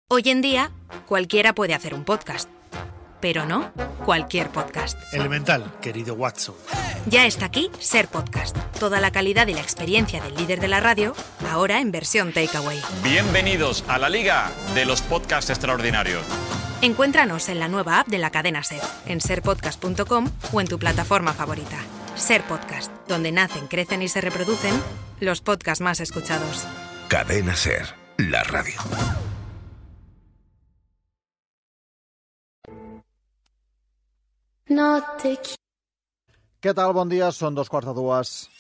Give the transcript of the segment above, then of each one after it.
Hoy en día, cualquiera puede hacer un podcast, pero no cualquier podcast. Elemental, querido Watson. Ya está aquí Ser Podcast. Toda la calidad y la experiencia del líder de la radio, ahora en versión takeaway. Bienvenidos a la Liga de los Podcasts Extraordinarios. Encuéntranos en la nueva app de la cadena Ser, en serpodcast.com o en tu plataforma favorita. Ser Podcast, donde nacen, crecen y se reproducen los podcasts más escuchados. Cadena Ser, la radio. Què tal? Bon dia, són 2:45.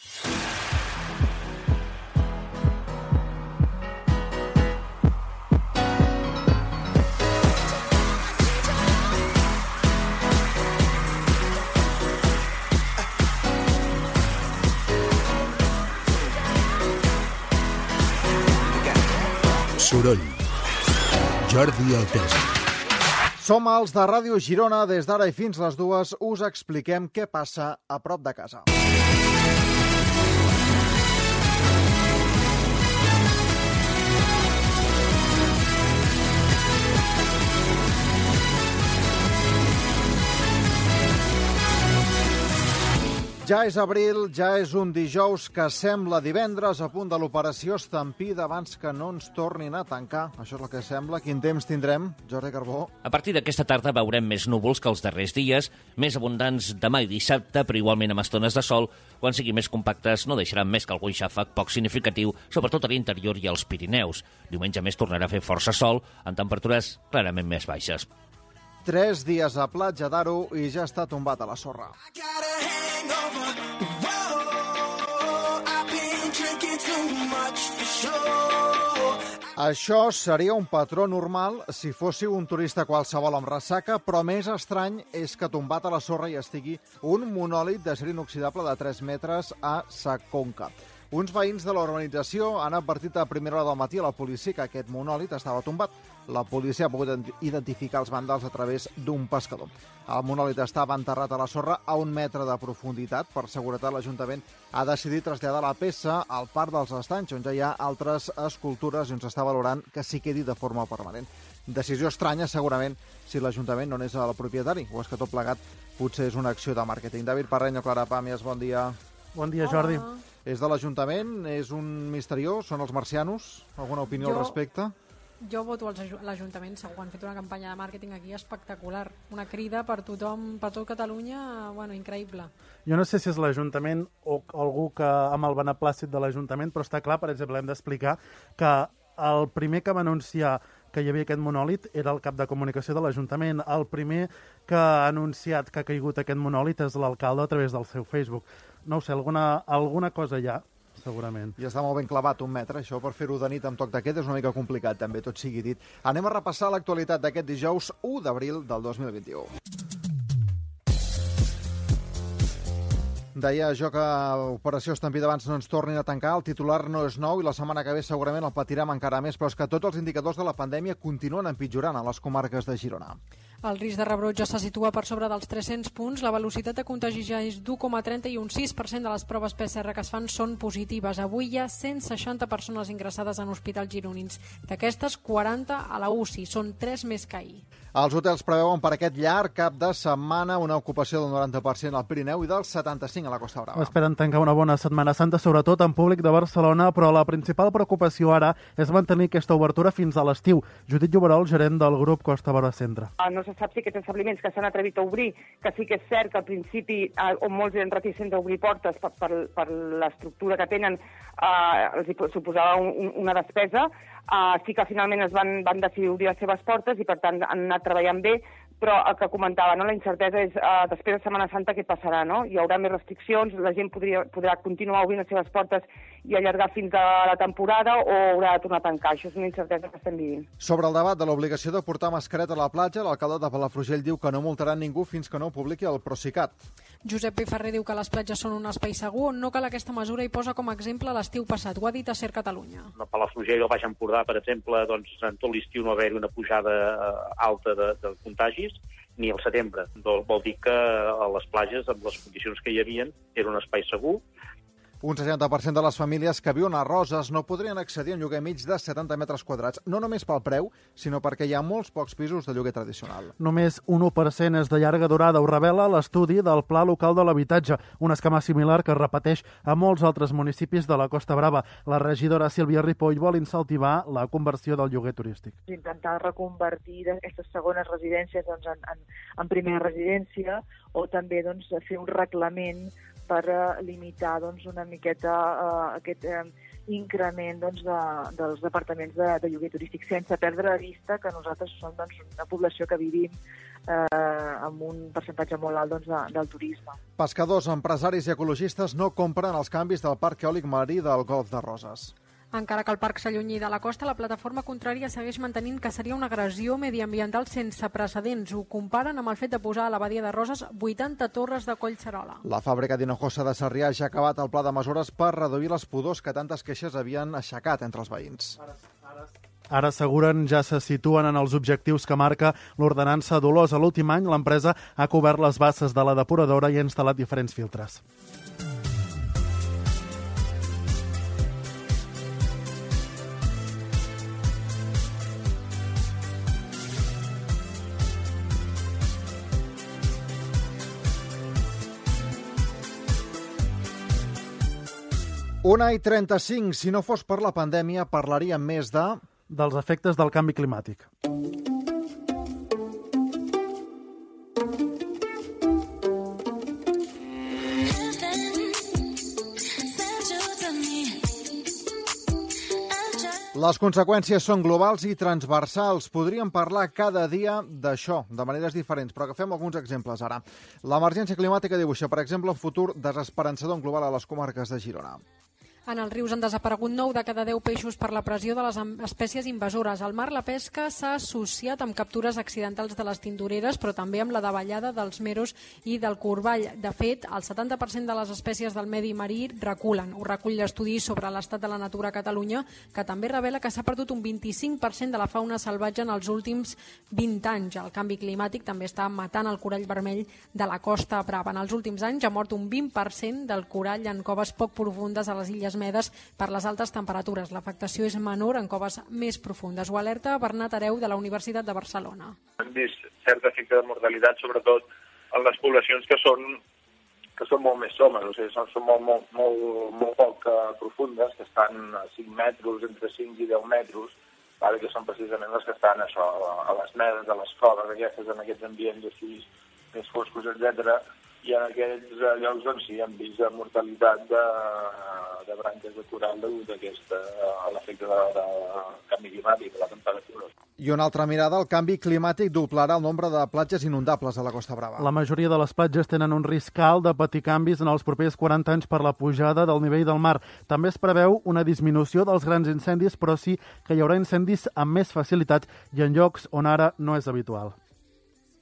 Soroll. Jordi Altesa. Som els de Ràdio Girona. Des d'ara i fins les 2 us expliquem què passa a prop de casa. Ja és abril, ja és un dijous que sembla divendres, a punt de l'operació Estampida abans que no ens tornin a tancar. Això és el que sembla. Quin temps tindrem, Jordi Carbó? A partir d'aquesta tarda veurem més núvols que els darrers dies, més abundants demà i dissabte, però igualment amb estones de sol. Quan siguin més compactes no deixaran més que algun xàfec poc significatiu, sobretot a l'interior i als Pirineus. Diumenge més tornarà a fer força sol, amb temperatures clarament més baixes. 3 dies a Platja d'Aro i ja està tombat a la sorra. Això seria un patró normal si fóssiu un turista qualsevol amb ressaca, però més estrany és que tombat a la sorra hi estigui un monòlit d'acer inoxidable de 3 metres a Sa Conca. Uns veïns de la urbanització han advertit a primera hora del matí a la policia que aquest monòlit estava tombat. La policia ha pogut identificar els vàndals a través d'un pescador. El monòlit estava enterrat a la sorra a 1 metre de profunditat. Per seguretat, l'Ajuntament ha decidit traslladar la peça al Parc dels Estanys, on ja hi ha altres escultures i on s'està valorant que s'hi quedi de forma permanent. Decisió estranya, segurament, si l'Ajuntament no n'és el propietari, o és que tot plegat potser és una acció de màrqueting. David Parreño, Clara Pàmies, bon dia. Bon dia, Jordi. És de l'Ajuntament? És un misteriós? Són els marcianos? Alguna opinió al respecte? Jo voto l'Ajuntament, segur. Han fet una campanya de màrqueting aquí espectacular. Una crida per tothom, per tot Catalunya, bueno, increïble. Jo no sé si és l'Ajuntament o algú que amb el beneplàcit de l'Ajuntament, però està clar, per exemple, hem d'explicar que el primer que va anunciar que hi havia aquest monòlit era el cap de comunicació de l'Ajuntament. El primer que ha anunciat que ha caigut aquest monòlit és l'alcalde a través del seu Facebook. No ho sé, alguna cosa hi ha, segurament. I està molt ben clavat 1 metre, això per fer-ho de nit amb toc de queda és una mica complicat, també, tot sigui dit. Anem a repassar l'actualitat d'aquest dijous 1 d'abril del 2021. Deia jo que Operació Estampida abans no ens tornin a tancar. El titular no és nou i la setmana que ve segurament el patirem encara més, però és que tots els indicadors de la pandèmia continuen empitjorant a les comarques de Girona. El risc de rebrot ja se situa per sobre dels 300 punts, la velocitat de contagi ja és d'1,30 i un 6% de les proves PCR que es fan són positives. Avui hi ha 160 persones ingressades en hospitals gironins. D'aquestes, 40 a la UCI, són 3 més que ahir. Els hotels preveuen per aquest llarg cap de setmana una ocupació del 90% al Pirineu i del 75% a la Costa Brava. Esperen tancar una bona Setmana Santa, sobretot en públic de Barcelona, però la principal preocupació ara és mantenir aquesta obertura fins a l'estiu. Judit Lloberol, gerent del grup Costa Brava Centre. No se sap si aquests establiments que s'han atrevit a obrir, que sí que és cert que al principi, on molts eren reticents a obrir portes per l'estructura que tenen, els suposava una despesa, sí que finalment es van decidir obrir les seves portes i per tant han anat treballant bé, però el que comentava, no? La incertesa és després de Setmana Santa què passarà, no? Hi haurà més restriccions, la gent podrà continuar obrint les seves portes i allargar fins a la temporada o haurà de tornar a tancar. Això és una incertesa que estem vivint. Sobre el debat de l'obligació de portar mascareta a la platja, l'alcalde de Palafrugell diu que no multaran ningú fins que no ho publiqui el Procicat. Josep Piferrer diu que les platges són un espai segur on no cal aquesta mesura i posa com a exemple l'estiu passat. Ho ha dit a Ser Catalunya. A Palafrugell o Baix Empordà, per exemple, doncs, en tot l'estiu no va haver-hi una pujada alta de contagis, ni al setembre. Vol dir que a les platges, amb les condicions que hi havia, era un espai segur. Un 60% de les famílies que viuen a Roses no podrien accedir a un lloguer mig de 70 metres quadrats, no només pel preu, sinó perquè hi ha molts pocs pisos de lloguer tradicional. Només un 1% és de llarga durada, ho revela l'estudi del Pla Local de l'Habitatge, un esquema similar que es repeteix a molts altres municipis de la Costa Brava. La regidora Sílvia Ripoll vol incentivar la conversió del lloguer turístic. Intentar reconvertir aquestes segones residències en primera residència o també fer un reglament per limitar una miqueta aquest increment dels departaments de lloguer turístic, sense perdre de vista que nosaltres som una població que vivim amb un percentatge molt alt del turisme. Pescadors, empresaris i ecologistes no compren els canvis del parc eòlic marí del Golf de Roses. Encara que el parc s'allunyi de la costa, la plataforma contrària segueix mantenint que seria una agressió mediambiental sense precedents. Ho comparen amb el fet de posar a la badia de Roses 80 torres de Collserola. La fàbrica d'Hinojosa de Sarrià ja ha acabat el pla de mesures per reduir les pudors que tantes queixes havien aixecat entre els veïns. Ara asseguren ja se situen en els objectius que marca l'ordenança Dolors. A l'últim any, l'empresa ha cobert les basses de la depuradora i ha instal·lat diferents filtres. Una i 35. Si no fos per la pandèmia, parlaríem més dels efectes del canvi climàtic. Les conseqüències són globals i transversals. Podríem parlar cada dia d'això, de maneres diferents, però agafem alguns exemples ara. L'emergència climàtica dibuixa, per exemple, un futur desesperançador global a les comarques de Girona. En els rius han desaparegut 9 de cada 10 peixos per la pressió de les espècies invasores. Al mar, la pesca s'ha associat amb captures accidentals de les tintoreres, però també amb la davallada dels meros i del corball. De fet, el 70% de les espècies del medi marí reculen. Ho recull l'estudi sobre l'estat de la natura a Catalunya, que també revela que s'ha perdut un 25% de la fauna salvatge en els últims 20 anys. El canvi climàtic també està matant el corall vermell de la Costa Brava. En els últims anys ha mort un 20% del corall en coves poc profundes a les Illes Medes per les altes temperatures. L'afectació és menor en coves més profundes. Ho alerta Bernat Hereu de la Universitat de Barcelona. Hem vist cert efecte de mortalitat, sobretot en les poblacions que són molt més somes, o sigui, són molt poc profundes, que estan a 5 metres, entre 5 i 10 metres, que són precisament les que estan a les medes, a les coves, en aquests ambients així més foscos, etc. I en aquests llocs sí hem vist mortalitat de branques de coral degut a l'efecte de canvi climàtic, de la temperatura. I una altra mirada, el canvi climàtic doblarà el nombre de platges inundables a la Costa Brava. La majoria de les platges tenen un risc alt de patir canvis en els propers 40 anys per la pujada del nivell del mar. També es preveu una disminució dels grans incendis, però sí que hi haurà incendis amb més facilitat i en llocs on ara no és habitual.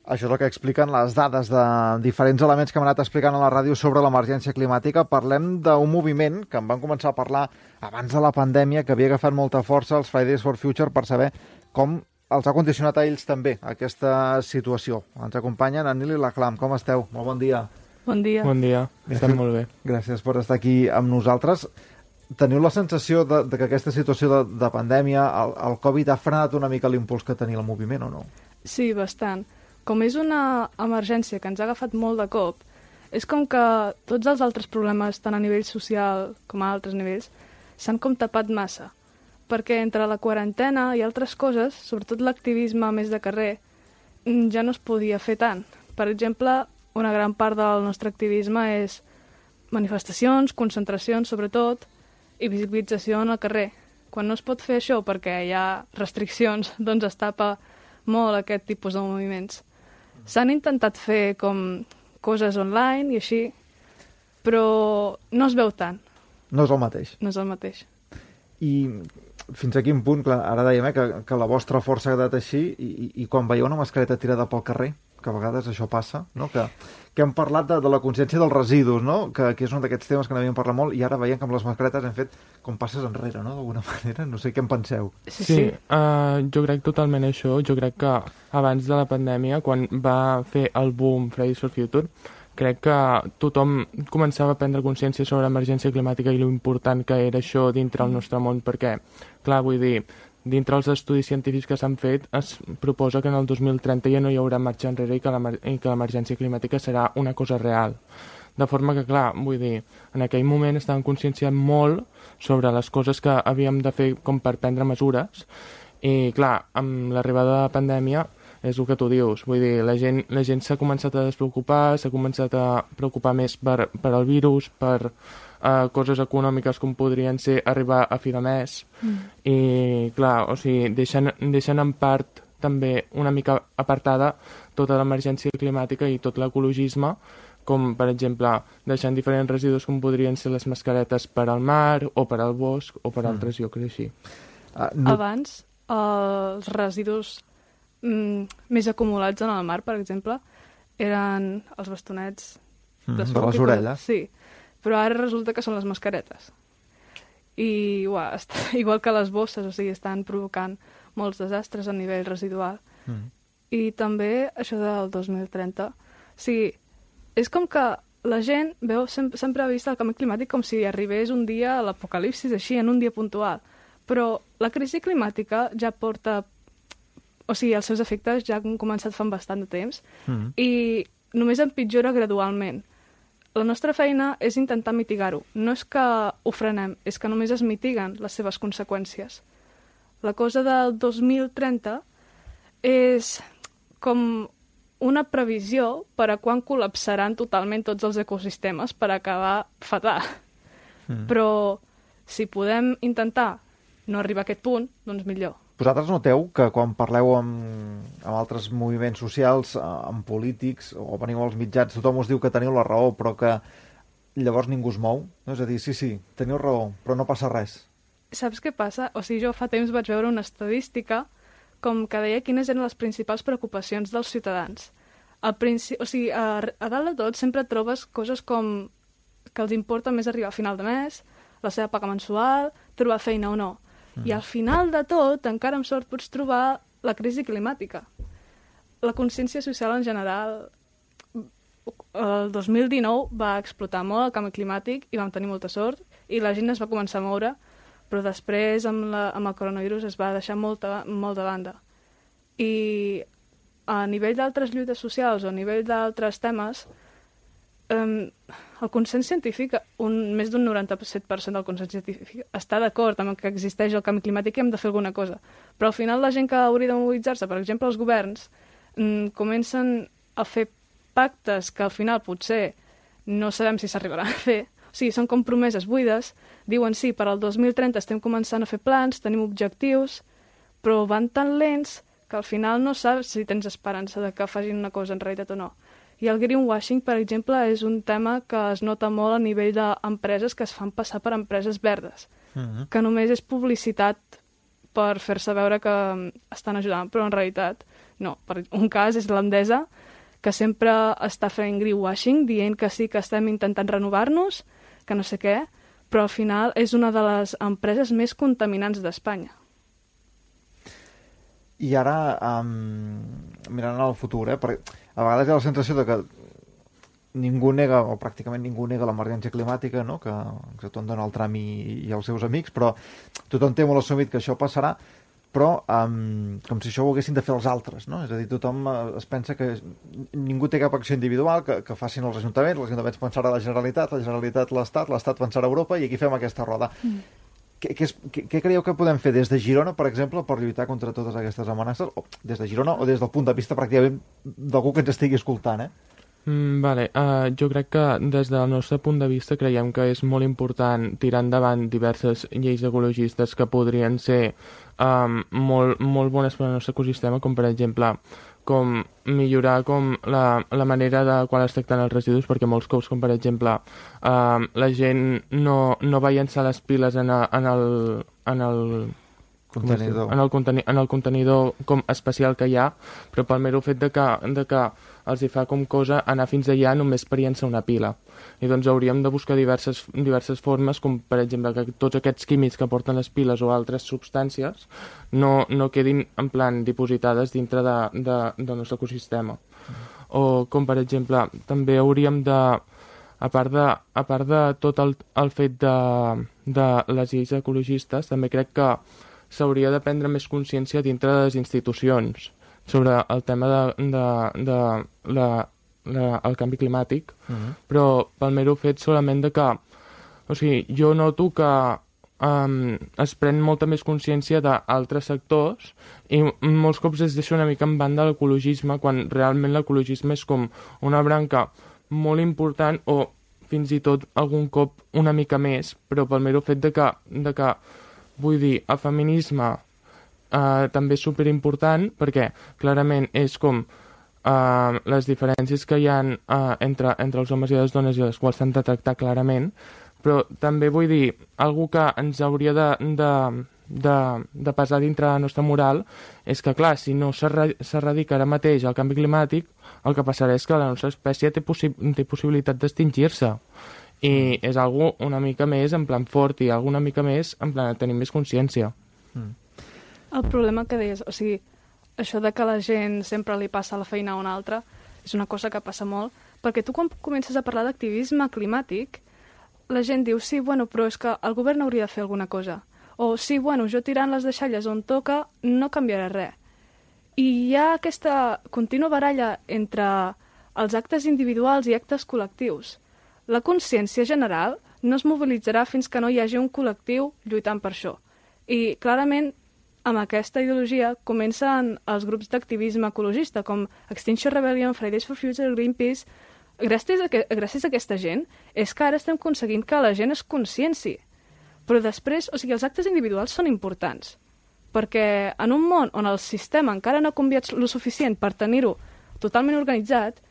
Això és el que expliquen les dades de diferents elements que hem anat explicant a la ràdio sobre l'emergència climàtica. Parlem d'un moviment que en van començar a parlar abans de la pandèmia, que havia agafat molta força els Fridays for Future, per saber com els ha condicionat a ells també aquesta situació. Ens acompanyen en Nil i la Clam. Com esteu? Molt bon dia. Bon dia. Bon dia. Estem molt bé. Gràcies per estar aquí amb nosaltres. Teniu la sensació de que aquesta situació de pandèmia, el Covid, ha frenat una mica l'impuls que tenia el moviment o no? Sí, bastant. Com és una emergència que ens ha agafat molt de cop, és com que tots els altres problemes, tant a nivell social com a altres nivells, s'han com tapat massa. Perquè entre la quarantena i altres coses, sobretot l'activisme més de carrer, ja no es podia fer tant. Per exemple, una gran part del nostre activisme és manifestacions, concentracions, sobretot, i visibilització en el carrer. Quan no es pot fer això perquè hi ha restriccions, doncs es tapa molt aquest tipus de moviments. S'han intentat fer com coses online i així, però no es veu tant. No és el mateix. No és el mateix. I fins a quin punt, clar, ara dèiem que la vostra força ha quedat així i quan veieu una mascareta tirada pel carrer, que a vegades això passa, no? Que hem parlat de la consciència dels residus, no? Que és un d'aquests temes que n'havíem parlat molt i ara veiem que amb les mascaretes hem fet com passes enrere, no? D'alguna manera, no sé què en penseu. Sí, jo crec totalment això. Jo crec que abans de la pandèmia, quan va fer el boom Fridays for Future, crec que tothom començava a prendre consciència sobre l'emergència climàtica i l'important que era això dintre el nostre món, perquè, clar, vull dir, dintre els estudis científics que s'han fet es proposa que en el 2030 ja no hi haurà marxa enrere i que l'emergència climàtica serà una cosa real. De forma que, clar, vull dir, en aquell moment estàvem conscienciant molt sobre les coses que havíem de fer com per prendre mesures i, clar, amb l'arribada de la pandèmia és el que tu dius, vull dir, la gent s'ha començat a despreocupar, s'ha començat a preocupar més per el virus, per coses econòmiques com podrien ser arribar a fi de mes i, clar, o sigui, deixen en part també una mica apartada tota l'emergència climàtica i tot l'ecologisme, com, per exemple, deixant diferents residus com podrien ser les mascaretes per al mar o per al bosc o per altres llocs així. Abans, els residus més acumulats en el mar, per exemple, eren els bastonets de les orelles. Sí, però ara resulta que són les mascaretes. I igual que les bosses, o sigui, estan provocant molts desastres a nivell residual. I també això del 2030. O sigui, és com que la gent sempre ha vist el canvi climàtic com si arribés un dia a l'apocalipsis, així, en un dia puntual. Però la crisi climàtica ja porta... O sigui, els seus efectes ja han començat fa bastant de temps i només empitjora gradualment. La nostra feina és intentar mitigar-ho. No és que ho frenem, és que només es mitiguen les seves conseqüències. La cosa del 2030 és com una previsió per a quan col·lapsaran totalment tots els ecosistemes per acabar fatal. Però si podem intentar no arribar a aquest punt, doncs millor. Vosaltres noteu que quan parleu amb altres moviments socials, amb polítics, o veniu als mitjans, tothom us diu que teniu la raó, però que llavors ningú es mou? No? És a dir, sí, teniu raó, però no passa res. Saps què passa? O sigui, jo fa temps vaig veure una estadística com que deia quines eren les principals preocupacions dels ciutadans. O sigui, a dalt de tot sempre trobes coses com que els importa més arribar a final de mes, la seva paga mensual, trobar feina o no. I al final de tot, encara amb sort, pots trobar la crisi climàtica. La consciència social en general, el 2019 va explotar molt el canvi climàtic i vam tenir molta sort i la gent es va començar a moure, però després amb el coronavirus es va deixar molt de banda. I a nivell d'altres lluites socials o a nivell d'altres temes, el consens científic, més d'un 97% del consens científic està d'acord amb que existeix el canvi climàtic i hem de fer alguna cosa. Però al final la gent que hauria de mobilitzar-se, per exemple els governs, comencen a fer pactes que al final potser no sabem si s'arribaran a fer. O sigui, són com promeses buides, diuen sí, per al 2030 estem començant a fer plans, tenim objectius, però van tan lents que al final no saps si tens esperança de que facin una cosa en realitat o no. I el greenwashing, per exemple, és un tema que es nota molt a nivell d'empreses que es fan passar per empreses verdes, que només és publicitat per fer-se veure que estan ajudant, però en realitat no. Per un cas és l'Endesa, que sempre està fent greenwashing, dient que sí que estem intentant renovar-nos, que no sé què, però al final és una de les empreses més contaminants d'Espanya. I ara, mirant al futur, perquè a vegades hi ha la sensació de que ningú nega, o pràcticament ningú nega l'emergència climàtica, no? Que tothom dona el tram i els seus amics, però tothom té molt assumit que això passarà, però com si això ho haguessin de fer els altres, no? És a dir, tothom es pensa que ningú té cap acció individual, que facin els ajuntaments pensarà la Generalitat l'Estat, l'Estat pensarà Europa, i aquí fem aquesta roda. Què creieu que podem fer des de Girona, per exemple, per lluitar contra totes aquestes amenaces? O des de Girona o des del punt de vista pràcticament d'algú que ens estigui escoltant, Jo crec que des del nostre punt de vista creiem que és molt important tirar endavant diverses lleis ecologistes que podrien ser molt bones per al nostre ecosistema, com per exemple com millorar la manera de quan es tracten els residus, perquè molts cops, com per exemple la gent no va llençar les piles en el contenidor com especial que hi ha, però pel mero fet de que els hi fa com cosa anar fins allà només per llençar una pila. I doncs hauríem de buscar diverses formes, com per exemple que tots aquests químics que porten les piles o altres substàncies no quedin en plan dipositades dintre del nostre ecosistema. o com per exemple també hauríem de, a part de tot el fet de les lleis ecologistes, també crec que s'hauria de prendre més consciència dintre de les institucions sobre el tema el canvi climàtic, però pel mero fet solament de que, o sigui, jo noto que es pren molta més consciència d'altres sectors i molts cops es deixa una mica en banda l'ecologisme, quan realment l'ecologisme és com una branca molt important, o fins i tot algun cop una mica més, però pel mero fet de que vull dir, el feminisme també és superimportant, perquè clarament és com les diferències que hi ha entre els homes i les dones, i les quals s'han de tractar clarament, però també vull dir, algú que ens hauria de pesar dintre la nostra moral és que, clar, si no s'erradica ara mateix el canvi climàtic, el que passarà és que la nostra espècie té possibilitat d'extingir-se. I és algo una mica més en plan fort i alguna mica més en plan de tenir més consciència. El problema que deies, o sigui, això de que la gent sempre li passa la feina a una altra, és una cosa que passa molt, perquè tu quan comences a parlar d'activisme climàtic, la gent diu, sí, bueno, però és que el govern hauria de fer alguna cosa. O sí, bueno, jo tirant les deixalles on toca no canviarà res. I hi ha aquesta contínua baralla entre els actes individuals i actes col·lectius. La consciència general no es mobilitzarà fins que no hi hagi un col·lectiu lluitant per això. I clarament, amb aquesta ideologia comencen els grups d'activisme ecologista, com Extinction Rebellion, Fridays for Future, Greenpeace. Gràcies a aquesta gent és que ara estem aconseguint que la gent es conscienci. Però després, o sigui, els actes individuals són importants, perquè en un món on el sistema encara no ha canviat lo suficient per tenir-ho totalment organitzat,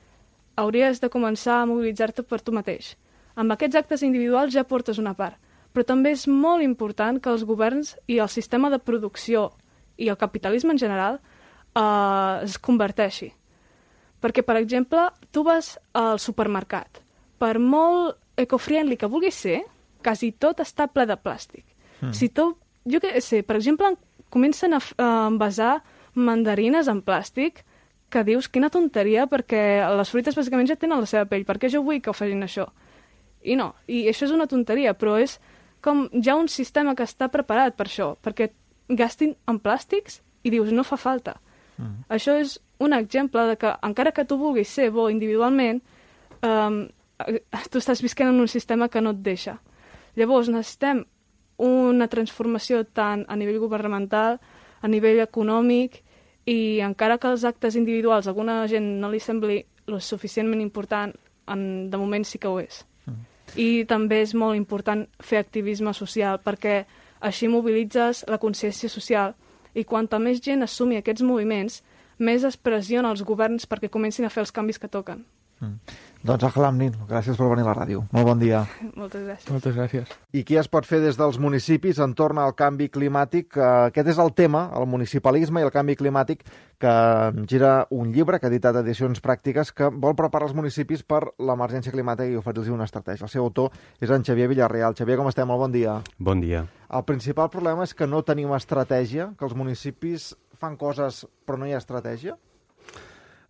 hauries de començar a mobilitzar-te per tu mateix. Amb aquests actes individuals ja portes una part, però també és molt important que els governs i el sistema de producció i el capitalisme en general es converteixi. Perquè, per exemple, tu vas al supermercat. Per molt eco-friendly que vulguis ser, quasi tot està ple de plàstic. Si tu, jo què sé, per exemple, comencen a envasar mandarines en plàstic, que dius, quina tonteria, perquè les fruites bàsicament ja tenen la seva pell, per què jo vull que ho facin això? I no, i això és una tonteria, però és com ja un sistema que està preparat per això, perquè gastin en plàstics i dius, no fa falta. Això és un exemple de que, encara que tu vulguis ser bo individualment, tu estàs visquent en un sistema que no et deixa. Llavors, necessitem una transformació tant a nivell governamental, a nivell econòmic, i encara que els actes individuals a alguna gent no li sembli lo suficientment important, de moment sí que ho és. I també és molt important fer activisme social, perquè així mobilitzes la consciència social, i quanta més gent assumi aquests moviments, més es pressiona els governs perquè comencin a fer els canvis que toquen. Doncs Àngel Amnin, gràcies per venir a la ràdio. Molt bon dia. Moltes gràcies. Moltes gràcies. I què es pot fer des dels municipis entorn al canvi climàtic? Aquest és el tema, el municipalisme i el canvi climàtic, que gira un llibre que ha editat Edicions Pràctiques, que vol preparar els municipis per l'emergència climàtica i oferir-los una estratègia. El seu autor és en Xavier Villarreal. Xavier, com estem? Molt bon dia. Bon dia. El principal problema és que no tenim estratègia, que els municipis fan coses però no hi ha estratègia?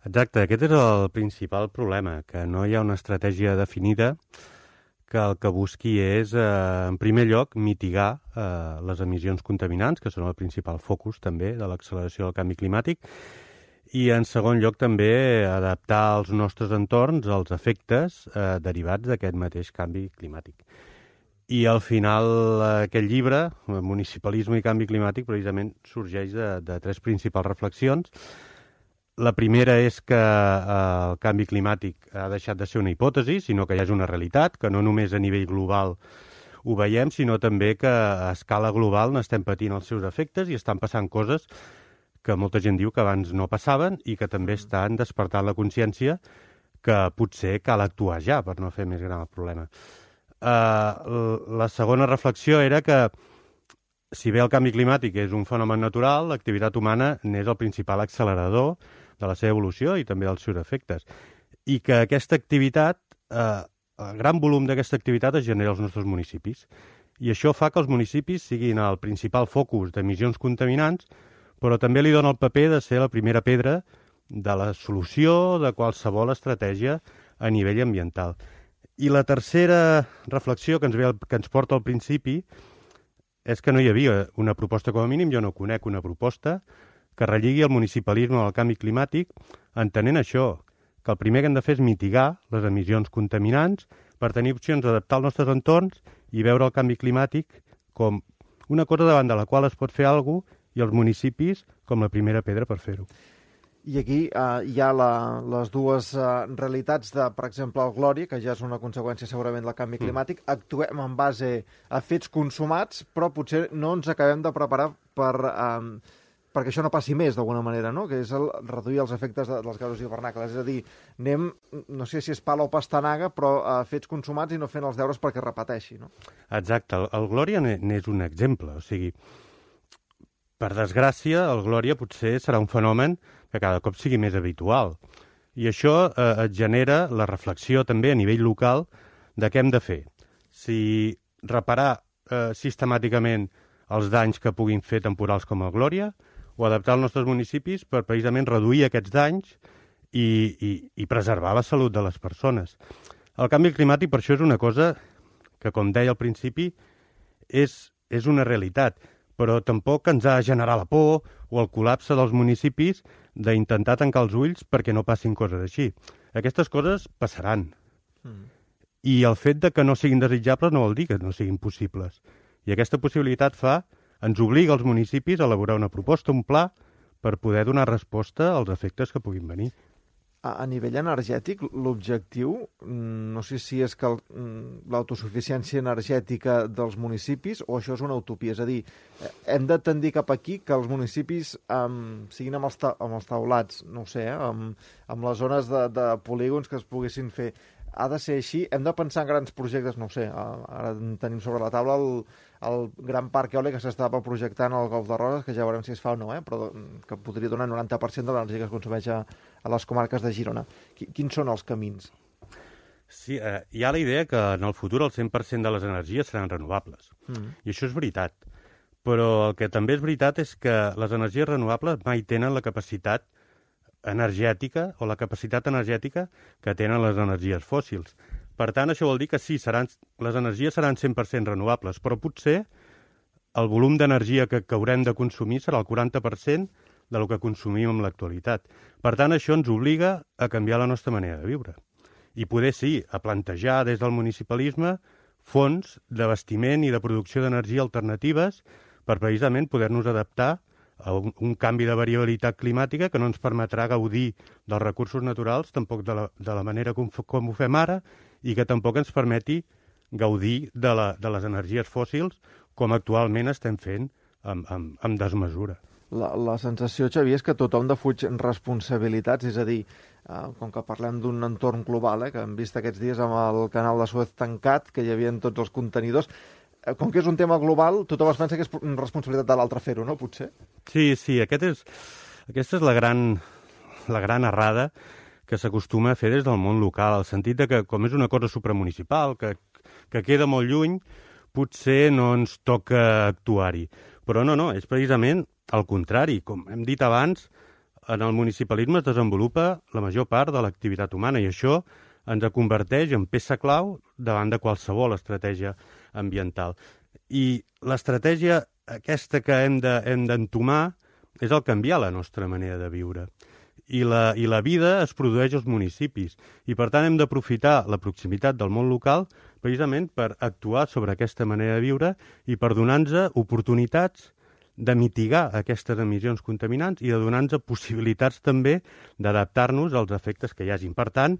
Exacte, aquest és el principal problema, que no hi ha una estratègia definida, que el que busqui és, en primer lloc, mitigar les emissions contaminants, que són el principal focus també de l'acceleració del canvi climàtic, i en segon lloc també adaptar els nostres entorns als efectes derivats d'aquest mateix canvi climàtic. I al final aquest llibre, Municipalisme i canvi climàtic, precisament sorgeix de tres principals reflexions. La primera és que el canvi climàtic ha deixat de ser una hipòtesi, sinó que ja és una realitat, que no només a nivell global ho veiem, sinó també que a escala global n'estem patint els seus efectes i estan passant coses que molta gent diu que abans no passaven i que també estan despertant la consciència que potser cal actuar ja per no fer més gran el problema. La segona reflexió era que si bé el canvi climàtic és un fenomen natural, l'activitat humana n'és el principal accelerador de la seva evolució i també dels seus efectes. I que aquesta activitat, el gran volum d'aquesta activitat es genera als nostres municipis. I això fa que els municipis siguin el principal focus d'emissions contaminants, però també li dona el paper de ser la primera pedra de la solució de qualsevol estratègia a nivell ambiental. I la tercera reflexió que ens porta al principi és que no hi havia una proposta, com a mínim jo no conec una proposta que relligui el municipalisme al canvi climàtic, entenent això, que el primer que hem de fer és mitigar les emissions contaminants per tenir opcions d'adaptar els nostres entorns i veure el canvi climàtic com una cosa davant de la qual es pot fer alguna cosa i els municipis com la primera pedra per fer-ho. I aquí hi ha les dues realitats de, per exemple, el Glòria, que ja és una conseqüència segurament del canvi climàtic. Actuem en base a fets consumats, però potser no ens acabem de preparar perquè això no passi més, d'alguna manera, no? Que és reduir els efectes dels gasos hivernacle. És a dir, anem, no sé si és pala o pastanaga, però fets consumats i no fent els deures perquè repeteixi, no? Exacte. El Glòria n'és un exemple. O sigui, per desgràcia, el Glòria potser serà un fenomen que cada cop sigui més habitual. I això et genera la reflexió també a nivell local de què hem de fer. Si reparar sistemàticament els danys que puguin fer temporals com el Glòria o adaptar els nostres municipis per precisament reduir aquests danys i preservar la salut de les persones. El canvi climàtic per això és una cosa que, com deia al principi, és una realitat, però tampoc ens ha de generar la por o el col·lapse dels municipis d'intentar tancar els ulls perquè no passin coses així. Aquestes coses passaran. I el fet de que no siguin desitjables no vol dir que no siguin possibles. I aquesta possibilitat ens obliga als municipis a elaborar una proposta, un pla, per poder donar resposta als efectes que puguin venir. A nivell energètic, l'objectiu, no sé si és que l'autosuficiència energètica dels municipis o això és una utopia. És a dir, hem de tendir cap aquí que els municipis siguin amb els taulats, no ho sé, amb les zones de polígons que es poguessin fer. Ha de ser així? Hem de pensar en grans projectes, no ho sé, ara tenim sobre la taula el gran parc eòlic que s'estava projectant al Golf de Roses, que ja veurem si es fa o no, però que podria donar el 90% de l'energia que es consumeix a les comarques de Girona. Quins són els camins? Sí, hi ha la idea que en el futur el 100% de les energies seran renovables. I això és veritat. Però el que també és veritat és que les energies renovables mai tenen la capacitat energètica o la capacitat energètica que tenen les energies fòssils. Per tant, això vol dir que sí, les energies seran 100% renovables, però potser el volum d'energia que haurem de consumir serà el 40% del que consumim en l'actualitat. Per tant, això ens obliga a canviar la nostra manera de viure. I poder, sí, a plantejar des del municipalisme fons d'abastiment i de producció d'energia alternatives per precisament poder-nos adaptar a un canvi de variabilitat climàtica que no ens permetrà gaudir dels recursos naturals tampoc de la manera com ho fem ara i que tampoc ens permeti gaudir de les energies fòssils com actualment estem fent amb desmesura. La sensació, Xavier, és que tothom defuig responsabilitats, és a dir, com que parlem d'un entorn global, que hem vist aquests dies amb el canal de Suez tancat, que hi havia tots els contenidors, com que és un tema global, tothom es pensa que és responsabilitat de l'altre fer-ho, no, potser? Sí, aquesta és la gran errada que s'acostuma a fer des del món local, al sentit de que, com és una cosa supramunicipal, que queda molt lluny, potser no ens toca actuar-hi. Però no, és precisament al contrari. Com hem dit abans, en el municipalisme es desenvolupa la major part de l'activitat humana i això ens converteix en peça clau davant de qualsevol estratègia ambiental. I l'estratègia aquesta que hem d'entomar és el canviar la nostra manera de viure. I la vida es produeix als municipis. I, per tant, hem d'aprofitar la proximitat del món local precisament per actuar sobre aquesta manera de viure i per donar-nos oportunitats de mitigar aquestes emissions contaminants i de donar-nos possibilitats també d'adaptar-nos als efectes que hi hagin. Per tant,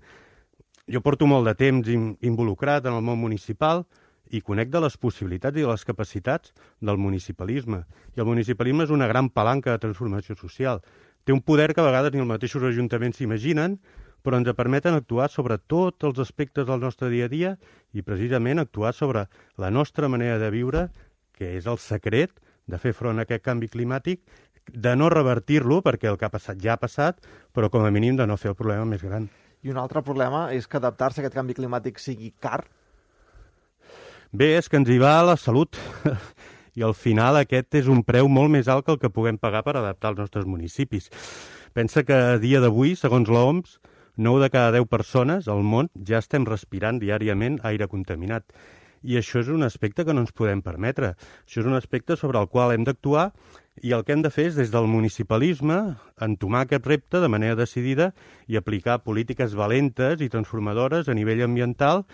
jo porto molt de temps involucrat en el món municipal i conec de les possibilitats i de les capacitats del municipalisme. I el municipalisme és una gran palanca de transformació social. Té un poder que a vegades ni els mateixos ajuntaments s'imaginen, però ens permeten actuar sobre tots els aspectes del nostre dia a dia i precisament actuar sobre la nostra manera de viure, que és el secret de fer front a aquest canvi climàtic, de no revertir-lo, perquè el que ha passat ja ha passat, però com a mínim de no fer el problema més gran. I un altre problema és que adaptar-se a aquest canvi climàtic sigui car? Bé, és que ens hi va la salut. I al final aquest és un preu molt més alt que el que puguem pagar per adaptar els nostres municipis. Pensa que a dia d'avui, segons l'OMS, 9 de cada 10 persones al món ja estem respirant diàriament aire contaminat. I això és un aspecte que no ens podem permetre. Això és un aspecte sobre el qual hem d'actuar i el que hem de fer és, des del municipalisme, entomar aquest repte de manera decidida i aplicar polítiques valentes i transformadores a nivell ambiental,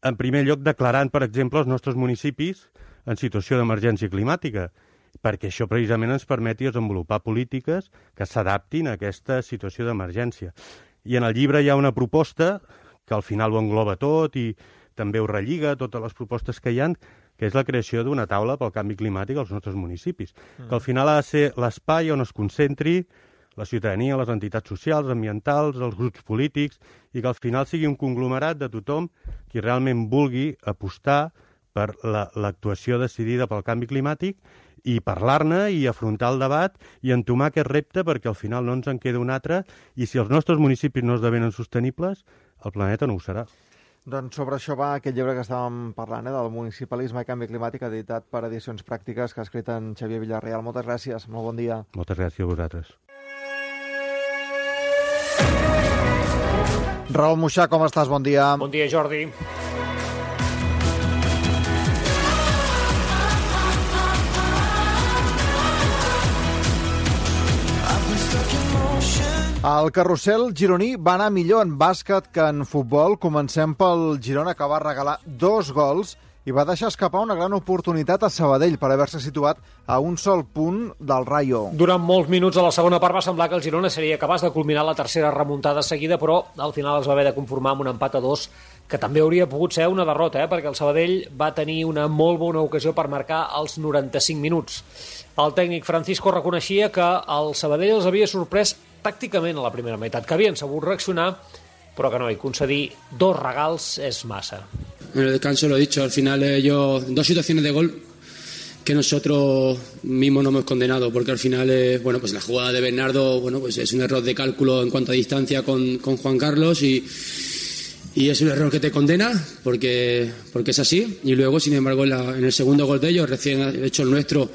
en primer lloc declarant, per exemple, els nostres municipis en situació d'emergència climàtica, perquè això precisament ens permeti desenvolupar polítiques que s'adaptin a aquesta situació d'emergència. I en el llibre hi ha una proposta que al final ho engloba tot i també ho relliga, totes les propostes que hi ha, que és la creació d'una taula pel canvi climàtic als nostres municipis, que al final ha de ser l'espai on es concentri la ciutadania, les entitats socials, ambientals, els grups polítics, i que al final sigui un conglomerat de tothom qui realment vulgui apostar per l'actuació decidida pel canvi climàtic i parlar-ne i afrontar el debat i entomar aquest repte perquè al final no ens en queda un altre i si els nostres municipis no esdevenen sostenibles, el planeta no ho serà. Doncs sobre això va aquest llibre que estàvem parlant, del municipalisme i canvi climàtic, editat per Edicions Pràctiques, que ha escrit en Xavier Villarreal. Moltes gràcies, molt bon dia. Moltes gràcies a vosaltres. Raül Moixà, com estàs? Bon dia. Bon dia, Jordi. El carrusel gironí va anar millor en bàsquet que en futbol. Comencem pel Girona, que va regalar 2 gols i va deixar escapar una gran oportunitat a Sabadell per haver-se situat a un sol punt del Rayo. Durant molts minuts a la segona part va semblar que el Girona seria capaç de culminar la tercera remuntada seguida, però al final es va haver de conformar amb un empat a 2, que també hauria pogut ser una derrota, perquè el Sabadell va tenir una molt bona ocasió per marcar als 95 minuts. El tècnic Francisco reconeixia que el Sabadell els havia sorprès tàcticament a la primera meitat, que havien sabut reaccionar, però que no, i concedir 2 regals és massa. En el descanso lo he dicho, al final ellos 2 situaciones de gol que nosotros mismos no hemos condenado, porque al final pues la jugada de Bernardo, pues es un error de cálculo en cuanto a distancia con Juan Carlos y es un error que te condena porque es así. Y luego, sin embargo, en el segundo gol de ellos, recién hecho el nuestro,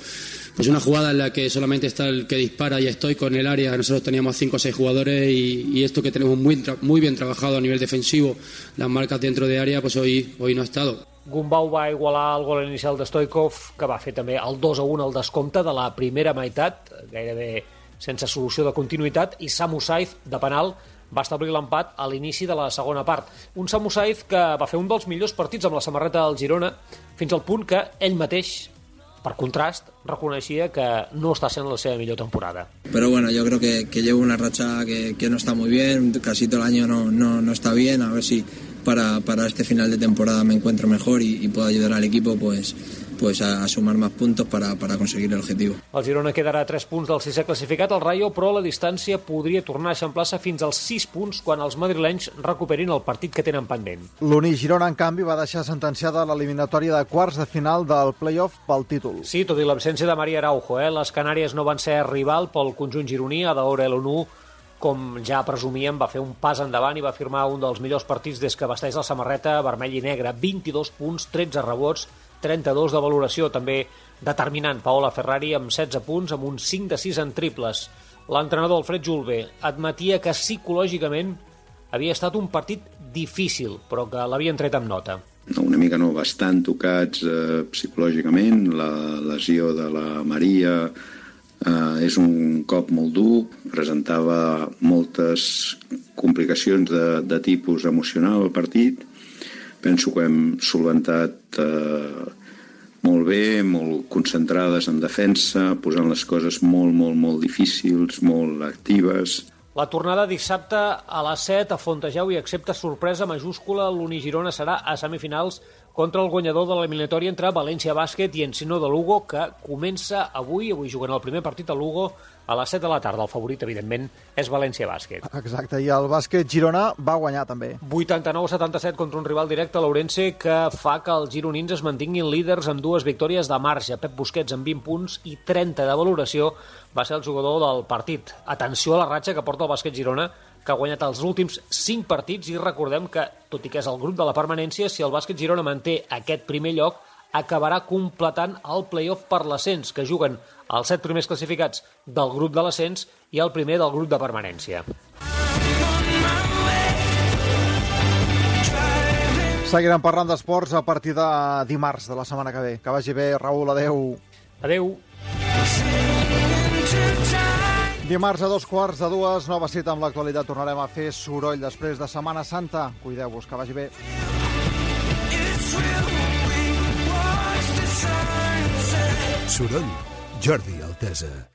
pues una jugada en la que solamente está el que dispara y estoy con el área. Nosotros teníamos 5 o 6 jugadores y esto que tenemos muy bien trabajado a nivel defensivo, las marcas dentro de área, pues hoy no ha estado. Gumbau va igualar el gol inicial de Stoikov, que va fer també el 2-1 al descompte de la primera meitat, gairebé sense solució de continuïtat, i Samu Saiz, de penal, va establir l'empat a l'inici de la segona part. Un Samu Saiz que va fer un dels millors partits amb la samarreta del Girona, fins al punt que ell mateix, per contrast, reconeixia que no està sent la seva millor temporada. Pero bueno, yo creo que llevo una racha que no está muy bien, casi todo el año no está bien, a ver si para este final de temporada me encuentro mejor y puedo ayudar al equipo pues a sumar más puntos para conseguir el objetivo. El Girona quedarà a 3 punts del 6è classificat, el Rayo, però la distància podria tornar a eixamplar-se fins als 6 punts quan els madrilenys recuperin el partit que tenen pendent. L'Uni Girona, en canvi, va deixar sentenciada l'eliminatòria de quarts de final del play-off pel títol. Sí, tot i l'absència de Maria Araujo, les Canàries no van ser rival pel conjunt gironí. Adaora l'ONU, com ja presumíem, va fer un pas endavant i va firmar un dels millors partits des que vesteix la samarreta vermell i negra. 22 punts, 13 rebots, 32 de valoració, també determinant Paola Ferrari amb 16 punts, amb un 5 de 6 en triples. L'entrenador Alfred Julve admetia que psicològicament havia estat un partit difícil, però que l'havien tret amb nota. Una mica no, bastant tocats psicològicament. La lesió de la Maria és un cop molt dur, presentava moltes complicacions de tipus emocional al partit. Penso que hem solventat molt bé, molt concentrades en defensa, posant les coses molt difícils, molt actives. La tornada dissabte a les 7 a Fontejau i excepte sorpresa majúscula, l'Uni Girona serà a semifinals contra el guanyador de l'eliminatòria entre València Bàsquet i Encino de Lugo, que comença avui jugant el primer partit a Lugo a les 7 de la tarda. El favorit, evidentment, és València Bàsquet. Exacte, i el bàsquet Girona va guanyar també. 89-77 contra un rival directe, l'Ourense, que fa que els gironins es mantinguin líders amb 2 victòries de marge. Pep Busquets amb 20 punts i 30 de valoració va ser el jugador del partit. Atenció a la ratxa que porta el bàsquet Girona, que ha guanyat els últims 5 partits, i recordem que, tot i que és el grup de la permanència, si el bàsquet Girona manté aquest primer lloc, acabarà completant el play-off per l'ascens, que juguen els 7 primers classificats del grup de l'ascens i el primer del grup de permanència. Seguirem parlant d'esports a partir de dimarts de la setmana que ve. Que vagi bé, Raül, adeu. Adeu. Dimarts a 2:15, nova cita amb l'actualitat. Tornarem a fer soroll després de Setmana Santa. Cuideu-vos, que vagi bé. Soroll, Jordi Altesa.